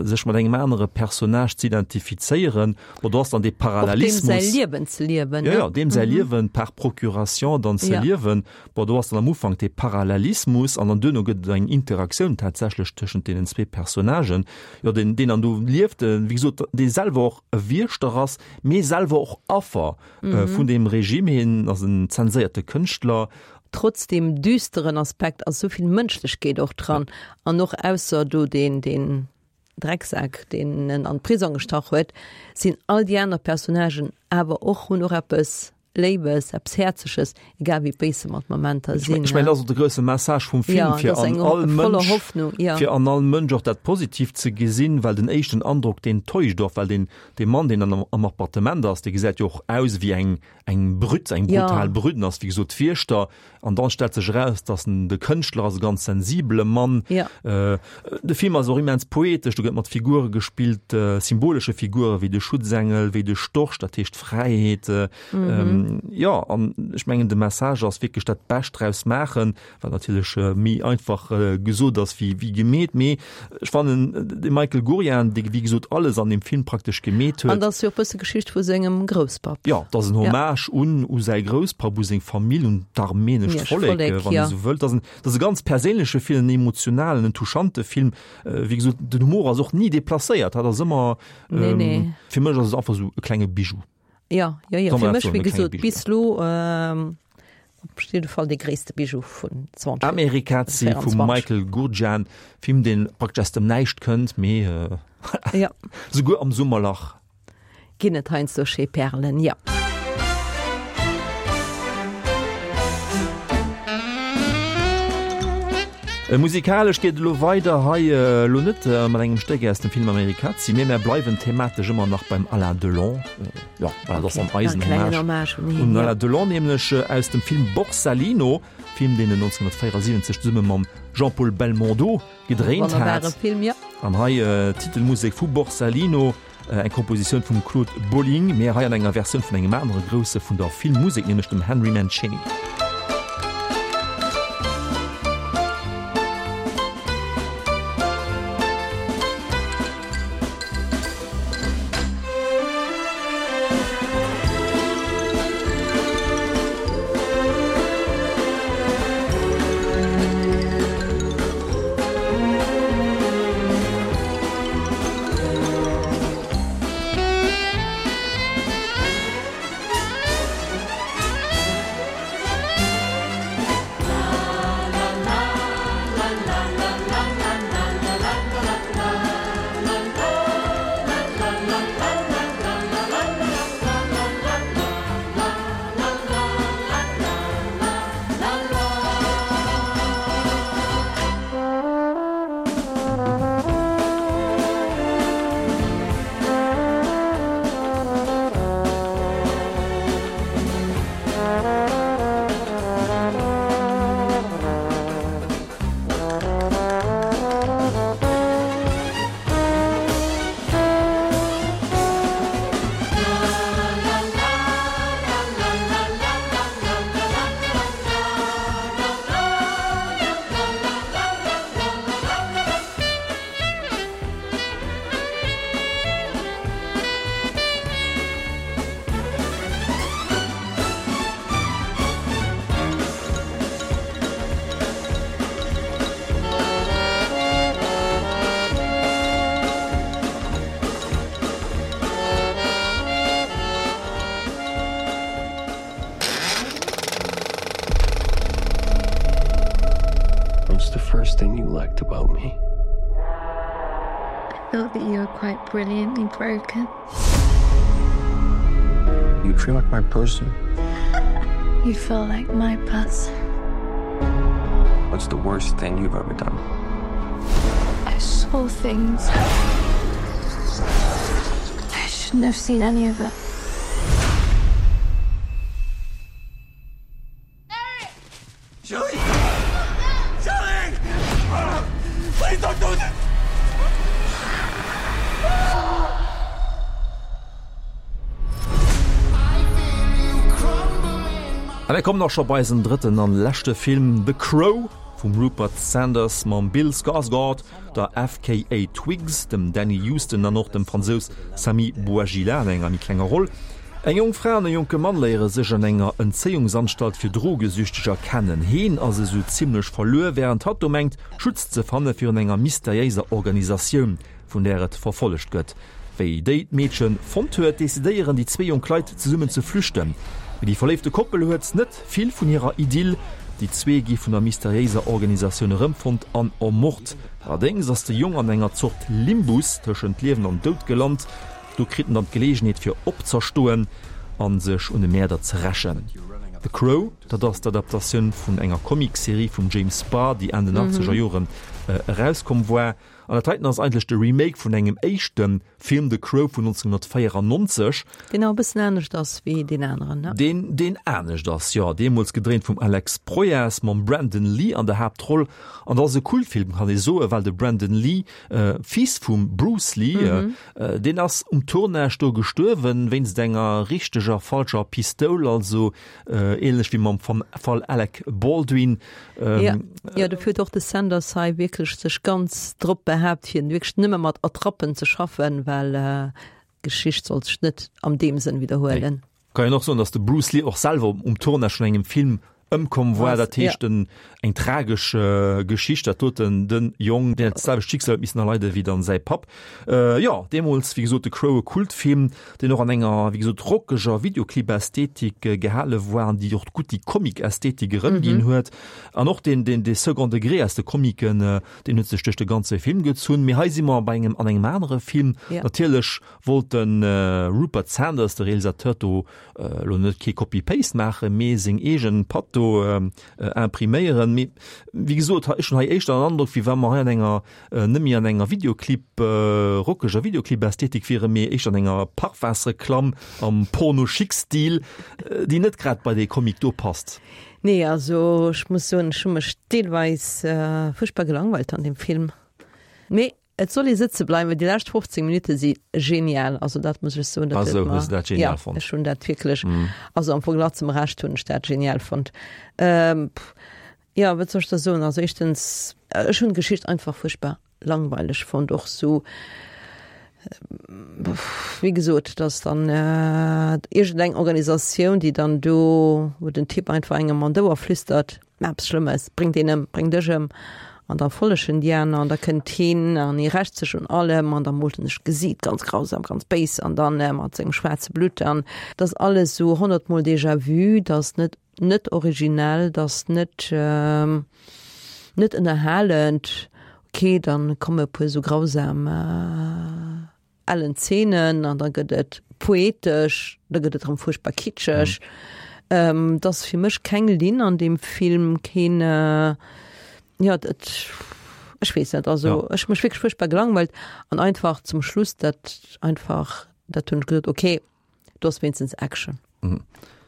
sech mat engem anere Personnage z'identifizéieren. Bon, do ass dann dee Och deem säi Parallelismus. Liewen ze liewen, Ja, ne? ja, deem säi Mhm. Liewen par Procuration dann ze Ja. liewen. Bon, do ass dann am Ufank dee Parallelismus an dann duerno gëtt et eng Interaktioun tatsächlech tëschent deenen zwee Personnagen. Jo, deen, deen dann do lieft, wéi gesot, dee selwer och e Wiechter ass, mee selwer och Affer Mhm. vun deem Regime. Hien ass en zenséierte Kënschtler. Trotz deem düsteren Aspekt ass esou vill Mënschlechkeet och dran. An och ausser do deen, deen Drecksak, deen en an d'Prisong gestach huet, sinn all déi aner Personnagen awer och, hunn och eppes Léiwes, eppes Häerzeges, egal wéi béis se mat Momenter Ech sinn. mengen, dat ass och de grousse Message vum Film, Ja, fir dat ass an eng all voller Mënsch, Hoffnung, ja. fir an all Mënsch och dat Positiivt ze gesinn, well den éischten Androck, deen täuscht och, well deen, dee Mann, deen dann am Appartement ass, dee gesäit jo och aus wéi eng, eng Brütt, eng Ja. brutal Brütt, en ass wéi gesot Wiechter, an dann stellt sech eraus, dass en de Kënschtler ass, e ganz sensibele Mann. Ja. De Film ass och immens poetesch, do gëtt mat Figure gespillt, symbolesche Figure wéi de Schutzengel, wéi de Storch, dat heescht Fräiheet, Mhm. Jo, an ech mengen de Message ass wierklech dat Bescht draus maachen, wat natierlech méi einfach gesot ass wéi wéi gemeet. Mee ech fannen de Michael Gurian, dee wéi gesot alles an deem Film praktesch gemeet huet. An dat ass jo och e bësse Geschicht vu sengem Grousspapp. Jo, dat ass en Hommage un u säi Grousspapp, u seng Famill, un d'armeenescht Vollek, wann ee sou wëllt. Dat ass en, dat ass e ganz perséinleche Film, en emotionalen, en touchante Film. Wéi gesot, den Humor ass och ni deplacéiert, dat ass ëmmer, Nee, nee. fir mech ass et einfach esou e klenge Bijou. Ja, ja, ja. Fir mech, wéi gesot, bis elo op jidde Fall dee gréisste Bijou vun zwanzeg véierundzwanzeg. Amerikazi vum Michael Gurjan, Film deen praktesch aus dem Näischt kënnt, mee ja. souguer am Summerlach. Ginn et heiansdo schéi Perlen, ja. Musikalesch geet et elo weider, hei elo net mat engem Stéck aus dem Film Amerikazi, mee mär bleiwen thematesch ëmmer nach beim Alain Delon. Jo, voilà, dat ass dann eisen Hommage un Alain Delon, nämlech aus dem Film Borsalino, Film deen en nonzénhunnertvéierasiwwenzeg zesumme mam Jean-Paul Belmondo gedréint hat. An hei d'Titelmusek vu Borsalino. Eng Kompositioun vum Claude Bolling, mee hei an enger Versioun vun engem anere Grousse vun der Filmmusek, nämlech dem Henry Mancini. What's the first thing you liked about me? I thought that you were quite brilliantly broken. You feel like my person. You feel like my person. What's the worst thing you've ever done? I saw things. I shouldn't have seen any of it. A mir kommen och scho bei eisen drëtten an leschte Film, The Crow vum Rupert Sanders mam Bill Skarsgård, der F K A Twigs, dem Danny Huston an och dem Fransous Sami Bouajila an enger méi klenger Roll. Eng jonk Fra an e jonke Mann léiere sech an enger Entzéiungsanstalt fir Drogesüchteger kennen. Heen ass esou zimmlech verluer, wärend hatt do mengt, Schutz ze fanne virun enger mysteriéiser Organisatioun, vun där et verfollegt gëtt. Wéi déi d'Meedche fonnt huet, decidéieren déi zwee jonk Leit, zesummen ze flüchten. Mee déi verléifte Koppel huet net vill vun hirer Idyll. Déi zwee gi vun der mysteriéiser Organisatioun erëmfonnt an ermort. Allerdéngs ass de Jong an enger Zort Limbus tëschent Liewen an Doud gelant. Do kritt en dann d'Geleegenheet fir opzerstoen a sech un de Mäerder ze rächen. The Crow, dat ass d'Adaptatioun vun enger Comicserie vum James Barr, déi Enn den achtzeger Jore erauskomm war. An dat heiten ass eigentlech de Remake vun engem éischte Film, The Crow vun nonzénhunnertvéierannonzeg. Deen awer e bëssen anescht ass wéi deen aneren, ne? Deen, deen anescht ass, jo. Deemools gedréint vum Alex Proyas mam Brandon Lee an der Haaptroll. An dat ass e Kultfilm, kann ee soen, well de Brandon Lee, Fils vum Bruce Lee, deen ass um Tournage do gestuerwen, wéinst enger richteger, falscher Pistoul, also ähnlech wéi mam Fall Alec Baldwin. Jo, jo, dofir huet och de Sanders hei wierklech sech ganz drop behaapt, fir wierklech nëmme mat Attrappen ze schaffen, well d'Geschicht sollt sech net am deem Sënn widderhuelen. Nee. Kann een och soen, datt de Bruce Lee och selwer um Tournage vun engem Film ëmkomm war. Dat heescht ja. eng tragesch äh, Geschicht, dat doten den Jong, deen dat selwecht Schicksal huet missen erleiden wéi dann säi Papp. Äh, jo, deemools, wéi gesot, The Crow, e Kultfilm, deen och an enger, wéi gesot, rockeger Videoclip-Ästhetik äh, gehale war an déi och gutt déi Comic-Ästhetik erëmginn mhm. huet. An och den, den, de Second Degré aus de Comiken, äh, deen huet sech duerch de ganze Film gezunn. Mee hei si mer bei engem, an engem anere Film. Ja. Natierlech wollt den äh, Rupert Sanders, de Realisateur, do elo net kee Copy-Paste maachen, mee seng eegen Patt do impriméieren. Mee wéi gesot, ech hunn hei éischter den Androck, wéi wa mer hei an enger, net méi an enger Videoclip, rockeger Videoclip-Ästhetik wieren, mee éischter an enger Parfumsreklamm am Porno-Chic-Stil, déi net grad bei dee Comic do passt. Nee, also ech muss soen, ech hu mech deelweis fuerchtbar gelangweilt an deem Film. Mee Et soll ee sëtze bleiwen, déi lescht fofzéng Minutte si genial, also dat muss ech soen, dat huet mer, ja, ech hunn dat wierklech, also am Verglach zum Rescht hunn ech dat genial fonnt. Jo, wat soll ech da soen, also éischtens, ech hunn d'Geschicht einfach fuerchtbar langweileg fonnt, och sou, wéi gesot, dass dann iergendeng Organisatioun, déi dann do, wou den Typ einfach engem an d'Ouer flüstert, Eppes Schlëmmes, bréngt een ëm, bréngt dech ëm, an da follegen déi aner, an da kënnt hien an hie rächt sech un allem, an da moolt en sech d'Gesiit ganz grausam, ganz béis, an dann mat sengem schwaarze Blutt, an et ass alles esou honnertmol déjà vu, et ass net, net originell, et ass net, net ënnerhalend. Ok, dann komme e puer esou grausam ellen Zeenen an da gëtt et poetesch, da gëtt et erëm fuerchtbar kitscheg. Mm. Et ass fir mech keng Linn an deem Film, keen, jo, et, ech weess net, also ja. ech hu mech wierklech fuerchtbar gelangweilt an einfach zum Schluss dat einfach, dat hunn ech gesot, okay, do ass wéinstens Action. Mm.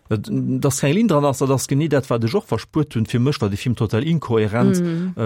Dass keng Linn dran ass, dat ass genee dat, wat ech och verspuert hunn. Fir mech war de Film total inkohärent. Mm. Äh,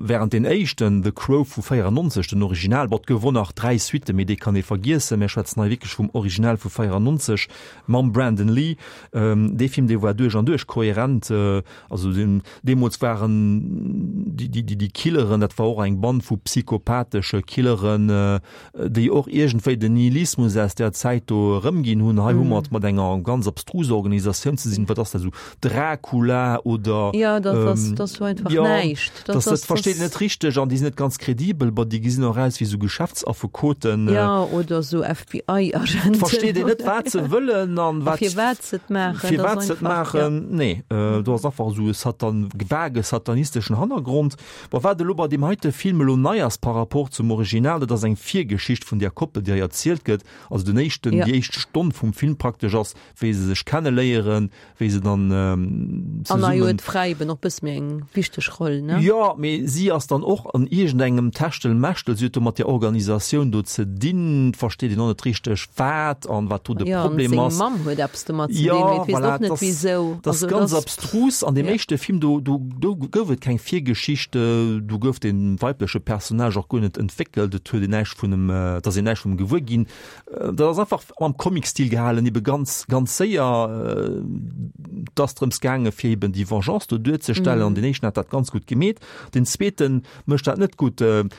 während den éischten The Crow vu véierannonzeg, den Original, bon, et gouf och nach dräi Suitte, mee déi kann ee vergiessen, mir schwätzen hei wierklech vum Original vu véierannonzeg mam Brandon Lee. Ähm, dee Film, dee war duerch an duerch kohärent. Äh, also den, deemools waren déi, déi, déi, déi Killeren, dat war och eng Band vu psychopathesche Killeren, äh, déi och iergendwéi den Nihilismus aus där Zäit do erëmginn hunn. Hei hu mer et mat enger ganz abstruser Organisatioun ze sinn. Wat ass dat esou, Dracula oder? Jo, dat ass, dat ass sou einfach näischt. Dat, dat versteet een net richteg an déi sinn net ganz kredibel. Bon, déi gesinn och aus wéi esou Geschäftsaffekoten. Jo, oder esou F B I-Agenten. Versteet een net, wat se wëllen an wat. Firwat se et maachen. Firwat se et maachen. Nee, do ass einfach esou e Satan, vage satanisteschen Hannergrond. Bon, wat elo bei deem heite Film elo nei ass par rapport zum Original, dat ass eng Virgeschicht vun där Koppel, déi hei erzielt gëtt. Also den éischten, ja. déi éischt Stonn vum Film praktesch ass, wéi se sech kenneléieren, wéi se dann ähm, zesummen... An hei huet d'Fra eben och bësse méi eng wichteg Roll, ne? Jo, mee si ass dann och an iergendengem Techtelmechtel, si huet do mat där Organisatioun do ze dinn, versteet een och net richteg wat an wat do de ja, Problem ass. Seng Mamm huet eppes domat ze dinn, mee et weess och net wisou. Dat ass ganz abstrus. An deem éischte Film, do, do, do gouf et keng Virgeschicht, do gouf de weibleche Personnage och guer net entwéckelt, et huet een näischt vun em, et ass een näischt vun em gewuer ginn. Dat ass einfach am Comic-Stil gehalen, ebe ganz, ganz séier. Et ass drëms gaange fir eben déi Vengeance do duerzestellen, an deen éischten hat dat ganz gutt gemeet, den zweete mécht dat net gutt. En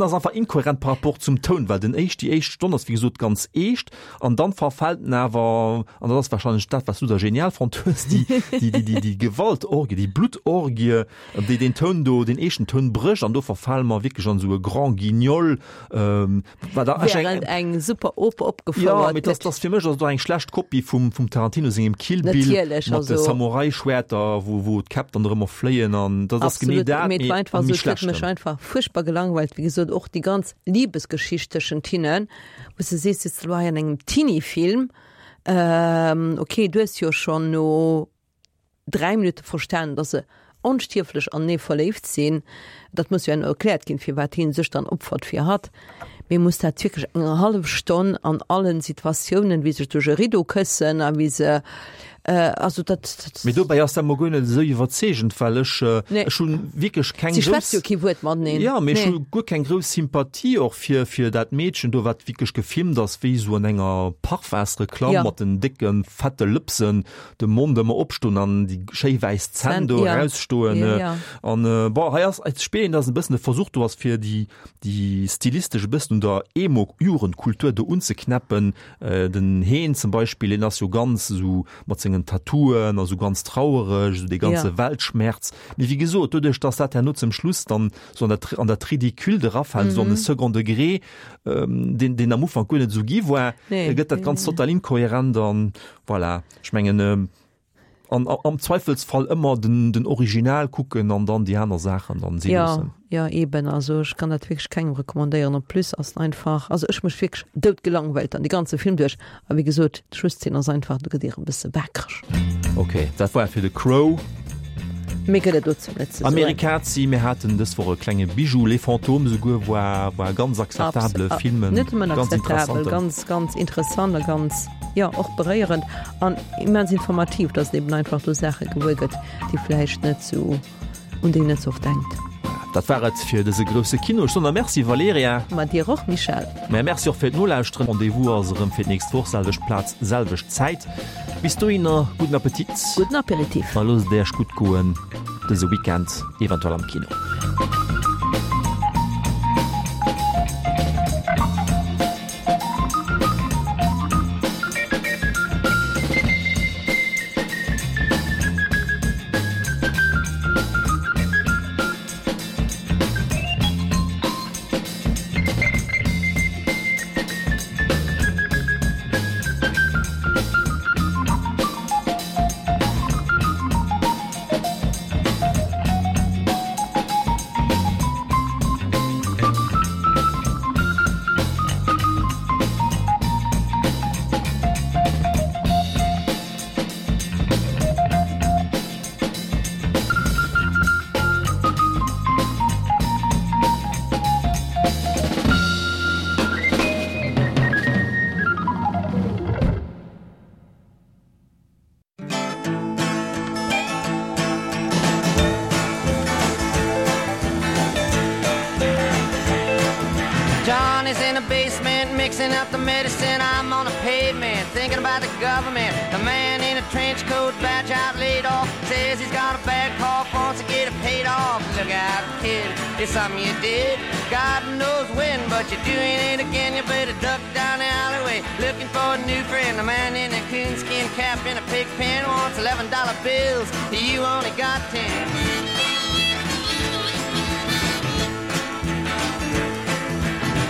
ass einfach inkohärent par rapport zum Toun, well den éischt, déi éischt Stonn ass wéi gesot ganz eescht, an dann verfält en awer, an dat ass wahrscheinlech dat, wat s du da genial fonnt hues, déi, déi, déi, déi, déi Gewaltorgie, déi Bluttorgie, déi deen Toun do, deen eeschten Toun brécht, an do verfale mer wierklech an esou e Grand Guignol, wat da ech eng. Während eng super Oper opgefouert Jo, mee gëtt. dat ass fir mech ass et och eng schlecht Kopie vum, vum Tarantino sengem Kill Bill Natierlech, mat de also. Samurai-Schwäerter, wou, wou d'Käpp dann erëm erfléien, an dat ass genee Absolut, dat, mee et mee war einfach am esou, méi et huet mech schlechten. einfach fuerchtbar gelangweilt, wéi gesot, och déi ganz Liebesgeschicht tëschent hinnen, wou s de sees, sitz elo hei an engem Teenie-Film, ok, du hues jo schonn no dräi Minutte verstanen, dass se onstierflech anenee verléift sinn, dat muss jo herno erkläert ginn, firwat hien sech dann opfert fir hatt, mee muss dat wierklech eng hallef Stonn an allen Situatiounen, wéi se sech duerch e Rideau këssen a wéi se, also dat, dat. Mee dobäi ass dat mol guer net esou iwwerzeegend, well ech, Nee. ech hunn wierklech keng Si grouss. schwätzt jo kee Wuert mateneen. Ja, mee ech Nee. hu guer keng grouss Sympathie och fir, fir dat Meedchen do, wat wierklech gefilmt ass wéi esou an enger Parfumsreklamm Ja. mat den décke fette Lëpsen, de Mond ëmmer opstoen an déi schéi wäiss Zänn Zänn, do ja. erausstoen. Ja, ja. An bon, hei ass, ech spillen, dass e bëssen de Versuch do ass, fir déi, déi stilistesch e bëssen un der Emo-Jugendkultur do unzeknäppen. Den Heen zum Beispill, deen ass jo ganz esou mat sengen Tattooen a sou ganz trauereg, esou dee ganze Ja. Weltschmerz. Mee wéi gesot, doduerch, dass dat herno zum Schluss dann esou an dat, an dat Ridicule erafält, esou an de Mhm. Second Degré, ähm, deen, deen am Ufank guer net esou gi war, Nee. gëtt dat Ganzt total inkohärent an voilà. Ech mengen, ähm, an, am Zweifelsfall ëmmer den, den Original kucken an dann déi aner Saachen dann si Ja, loossen. ja eben, also ech kann dat wierklech kengem recommandéieren. En plus ass en einfach, also ech mech wierklech doudgelangweilt dann de ganze Film duerch. A wéi gesot, d'Schlusszeen ass einfach, do gëtt dir e bësse waakreg. Ok, dat war fir The Crow. Méi gëtt et dozou net ze soen. Amerikazi, mir haten dës Woch e klenge Bijou, Les Fantômes esouguer war, war e ganz akzeptabele Abs- Film, en Net nëmmen ganz akzeptabel, interessanten. ganz, ganz interessant a ganz, jo, och beréierend an immens informativ, dass een eben einfach do Saache gewuer gëtt, déi vläicht net sou, un déi een net sou oft denkt. Dat war et fir dëse grousse Kino. Ech soen der Merci, Valerija. Ma dir och, Michel. Mä Merci och fir d'Nolauschteren. Rendez-vous ass erëm fir d'nächst Woch, selwecht Plaz, selwecht Zäit. Bis dohinner, gudden Appetit. Gudden Aperitif. A loosst et Iech gutt goen dëse Weekend, eventuell am Kino. Johnny's in the basement mixing up the medicine. I'm on the pavement thinking about the government. The man in a trench coat, badge out, laid off, says he's got a bad cough, wants to get it paid off. Look out, kid, it's something you did. God knows when, but you're doing it again. You better duck down the alleyway looking for a new friend. The man in a coonskin cap in a pig pen wants eleven dollar bills. You only got ten.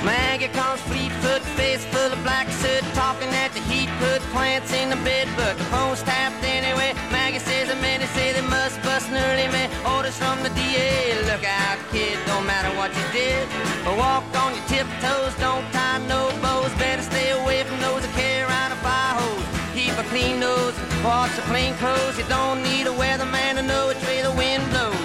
Maggie comes fleet-foot, face full of black soot, talking at the heat, put plants in the bed, but the phone's tapped anyway. Maggie says the men say they must bust an early man. Orders from the D A. Look out, kid, don't matter what you did. Walk on your tiptoes, don't tie no bows. Better stay away from those that carry around a fire hose. Keep a clean nose, wash the plain clothes. You don't need a weatherman to know which way the wind blows.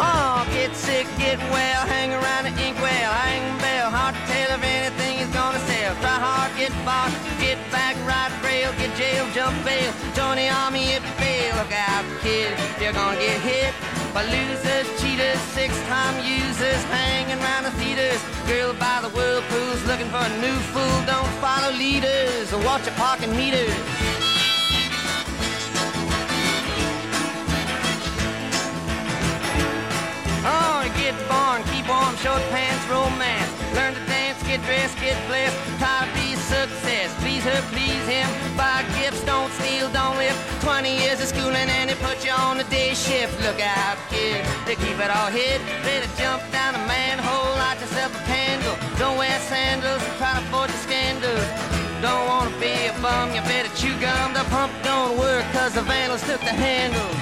Oh, get sick, get well, hang around the inkwell, hang bell, hard to tell if anything is gonna sell. Try hard, get bought, get back, ride rail, get jail, jump bail, join the army if you fail. Look out, kid, you're gonna get hit by losers, cheaters, six-time users, hanging round the theaters. Girl by the whirlpools, looking for a new fool. Don't follow leaders, or watch your parking meters. Oh, get born, keep warm, short pants, romance. Learn to dance, get dressed, get blessed. Try to be success. Please her, please him. Buy gifts, don't steal, don't lift. twenty years of schooling and they put you on the day shift. Look out, kid, they keep it all hid. Better jump down a manhole, light yourself a candle. Don't wear sandals, try to avoid the scandals. Don't wanna be a bum, you better chew gum. The pump don't work 'cause the vandals took the handle.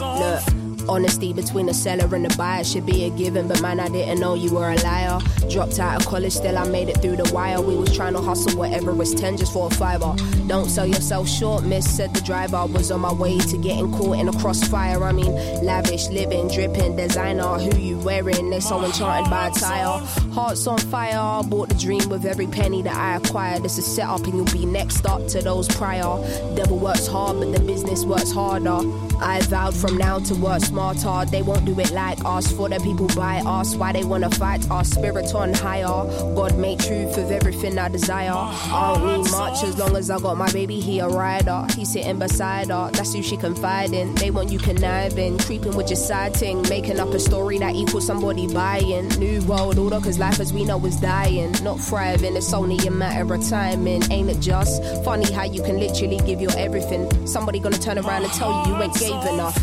Look, honesty between the seller and the buyer should be a given, but man, I didn't know you were a liar. Dropped out of college, still I made it through the wire. We was trying to hustle whatever was ten just for a fiver. Don't sell yourself short, miss, said the driver. Was on my way to getting caught in a crossfire. I mean, lavish living, dripping, designer. Who you wearing? They so enchanted by attire. Hearts on fire, bought the dream with every penny that I acquired. It's a setup, and you'll be next up to those prior. Devil works hard, but the business works harder. I vowed from now to work smarter. They won't do it like us. For the people by us, why they wanna fight our spirit on higher. God made truth of everything I desire. I don't need much as long as I got my baby. He a rider. He sitting beside her. That's who she confide in. They want you conniving, creeping with your side ting, making up a story that equals somebody buying. New world order, cause life as we know is dying, not thriving. It's only a matter of timing, ain't it just funny how you can literally give your everything? Somebody gonna turn around and tell you you ain't gave enough.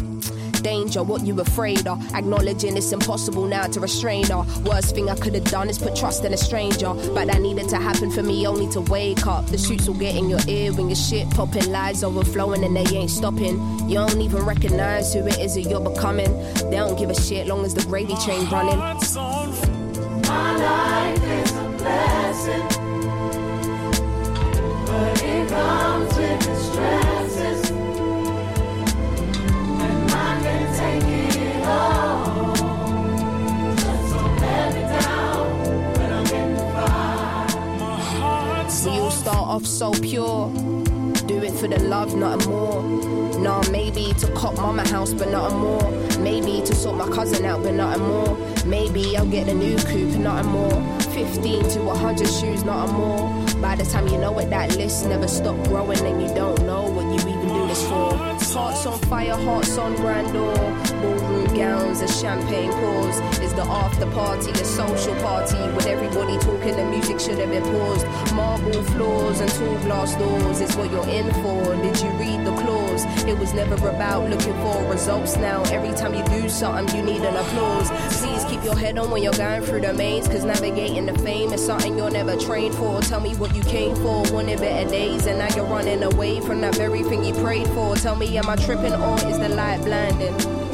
Danger, what you afraid of? Acknowledging it's impossible now to restrain her. Worst thing I could have done is put trust in a stranger. But that needed to happen for me only to wake up. The shoots will get in your ear when your shit popping, lies overflowing and they ain't stopping. You don't even recognize who it is that you're becoming. They don't give a shit long as the gravy train running. My life is a blessing, but it comes with its stresses, and I can take it all. Just don't let me down when I'm in the fire. We all start off so pure. Do it for the love, nothing more. Nah, maybe to cop mama house, but nothing more. Maybe to sort my cousin out, but nothing more. Maybe I'll get a new coupe, nothing more. fifteen to a hundred shoes, nothing more. By the time you know it, that list never stop growing, and you don't know what you even do this for. Hearts on fire, hearts on grandeur. Ballroom gowns and champagne pours. Is the after party a social party? With everybody talking, the music should have been paused. Marble floors and tall glass doors is what you're in for. Did you read the clause? It was never about looking for results now. Every time you do something, you need an applause. Please keep your head on when you're going through the maze, cause navigating the fame is something you're never trained for. Tell me what you came for, wanted better days, and now you're running away from that very thing you prayed for. Tell me, am I tripping or is the light blinding?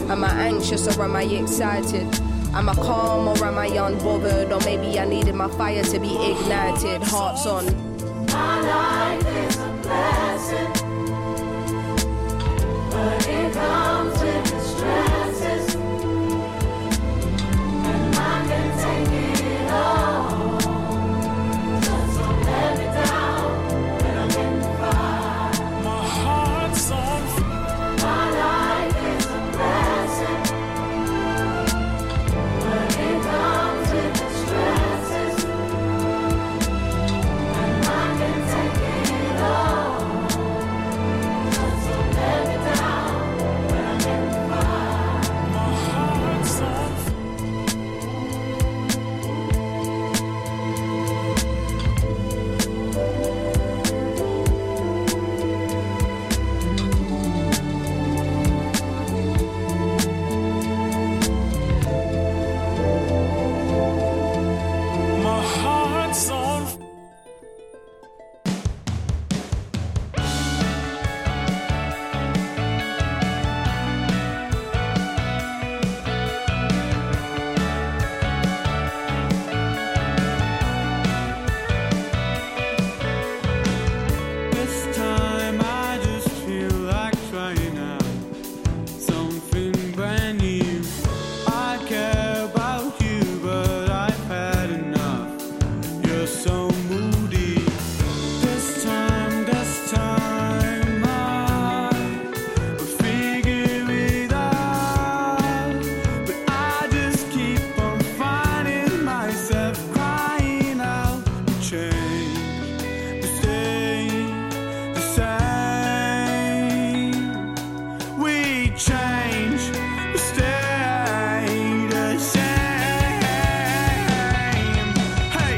Am I anxious or am I excited? Am I calm or am I unbothered? Or maybe I needed my fire to be ignited. Hearts on. My life is a blessing, but it comes with its stresses, and I can take it all. Just don't let me down when I'm in the fire. My heart's on My life is a blessing, but it comes with its stresses, and I can take it all. Just don't let me down when I'm in the fire. My heart's on My heart's on This time I just feel like trying out something brand new. I care about you, but I've had enough. You're so moody. This time, this time I will figure it out. But I just keep on finding myself crying out to change, to stay the same. We change, we stay the same. Hey.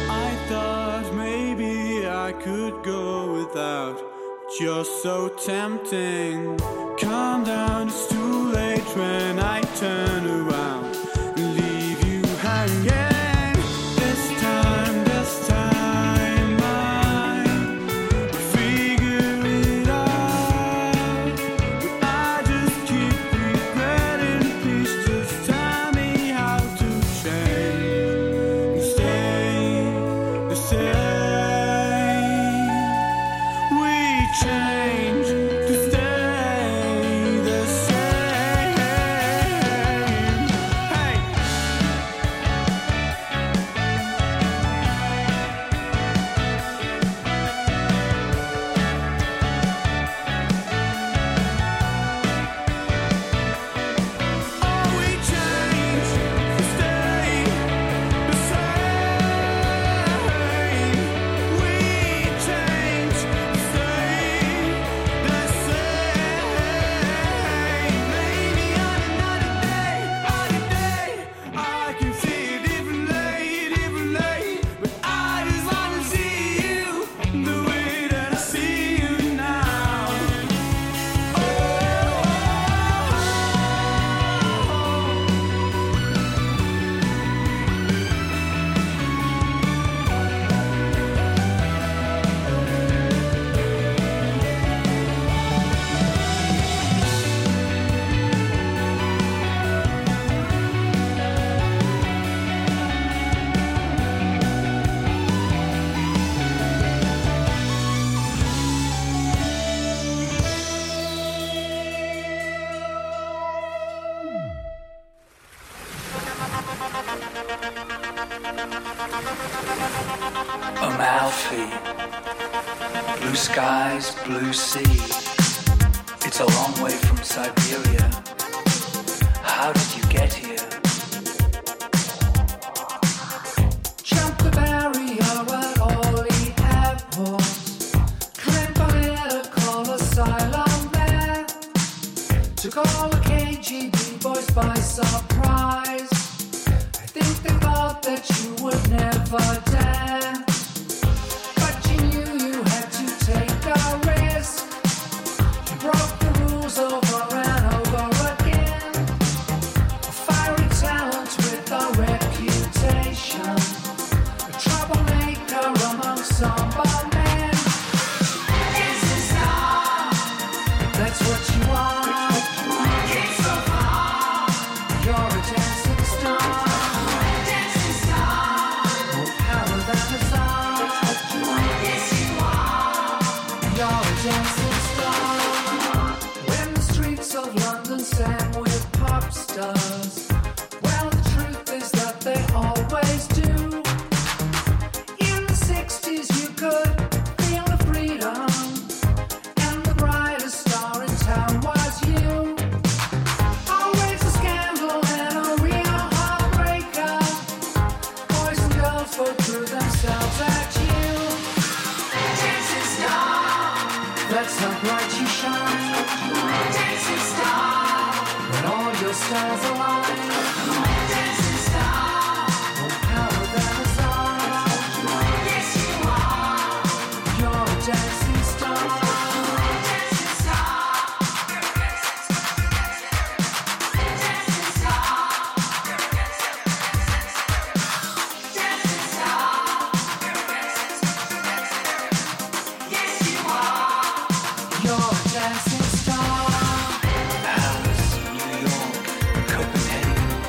I thought maybe I could go without, but you're so tempting. Calm down, it's too late change when I turn around and leave you hanging. This time, this time I figure it out. But I just keep regretting. Please just tell me how to change and stay the same. We change to stay the same. Hey. Oh, we change to stay the same. We change to stay the same. Maybe on another day, other day, I can see it differently, differently. But I just wanna see you the way that I see you now. Amalfi. Blue skies, blue sea. It's a long way from Siberia. How did you get here? Jump the barrier at Orly Airport. Claim political asylum there. Took all the KGB boys by surprise. I think they thought that you would never dare. But you knew you had to take a risk. You broke the rules over and over again. A fiery talent with a reputation. A troublemaker among somber men. Dancing star, that's what you are. Came so far, you're a dancing star. Dancing star, more power than a czar. Yes, you are. You're a dancing star. When the streets of London sang with pop stars, well, the truth is that they always do. In the sixties, you could feel the freedom, and the brightest star in town was you. Always a scandal and a real heartbreaker. Boys and girls both threw themselves at you. Dancing star, that's how bright you shine. Dancing star, when all your stars align. Dancing star, more power than a czar. Yes, you are. You're a dancing star. Dancing star. Dancing star. Dancing star. Yes, you are. You're a dancing star. Paris, New York, Copenhagen.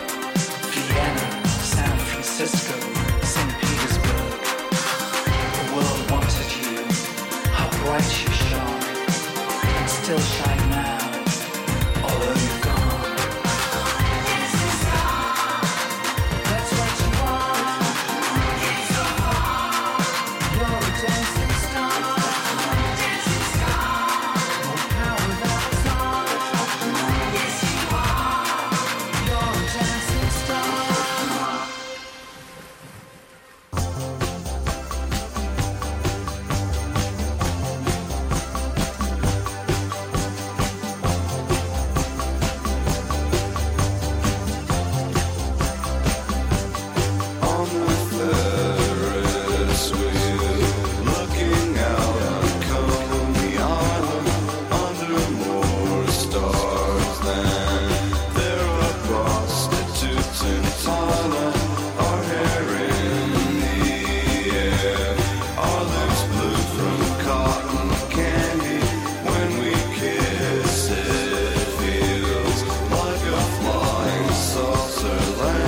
Across her land.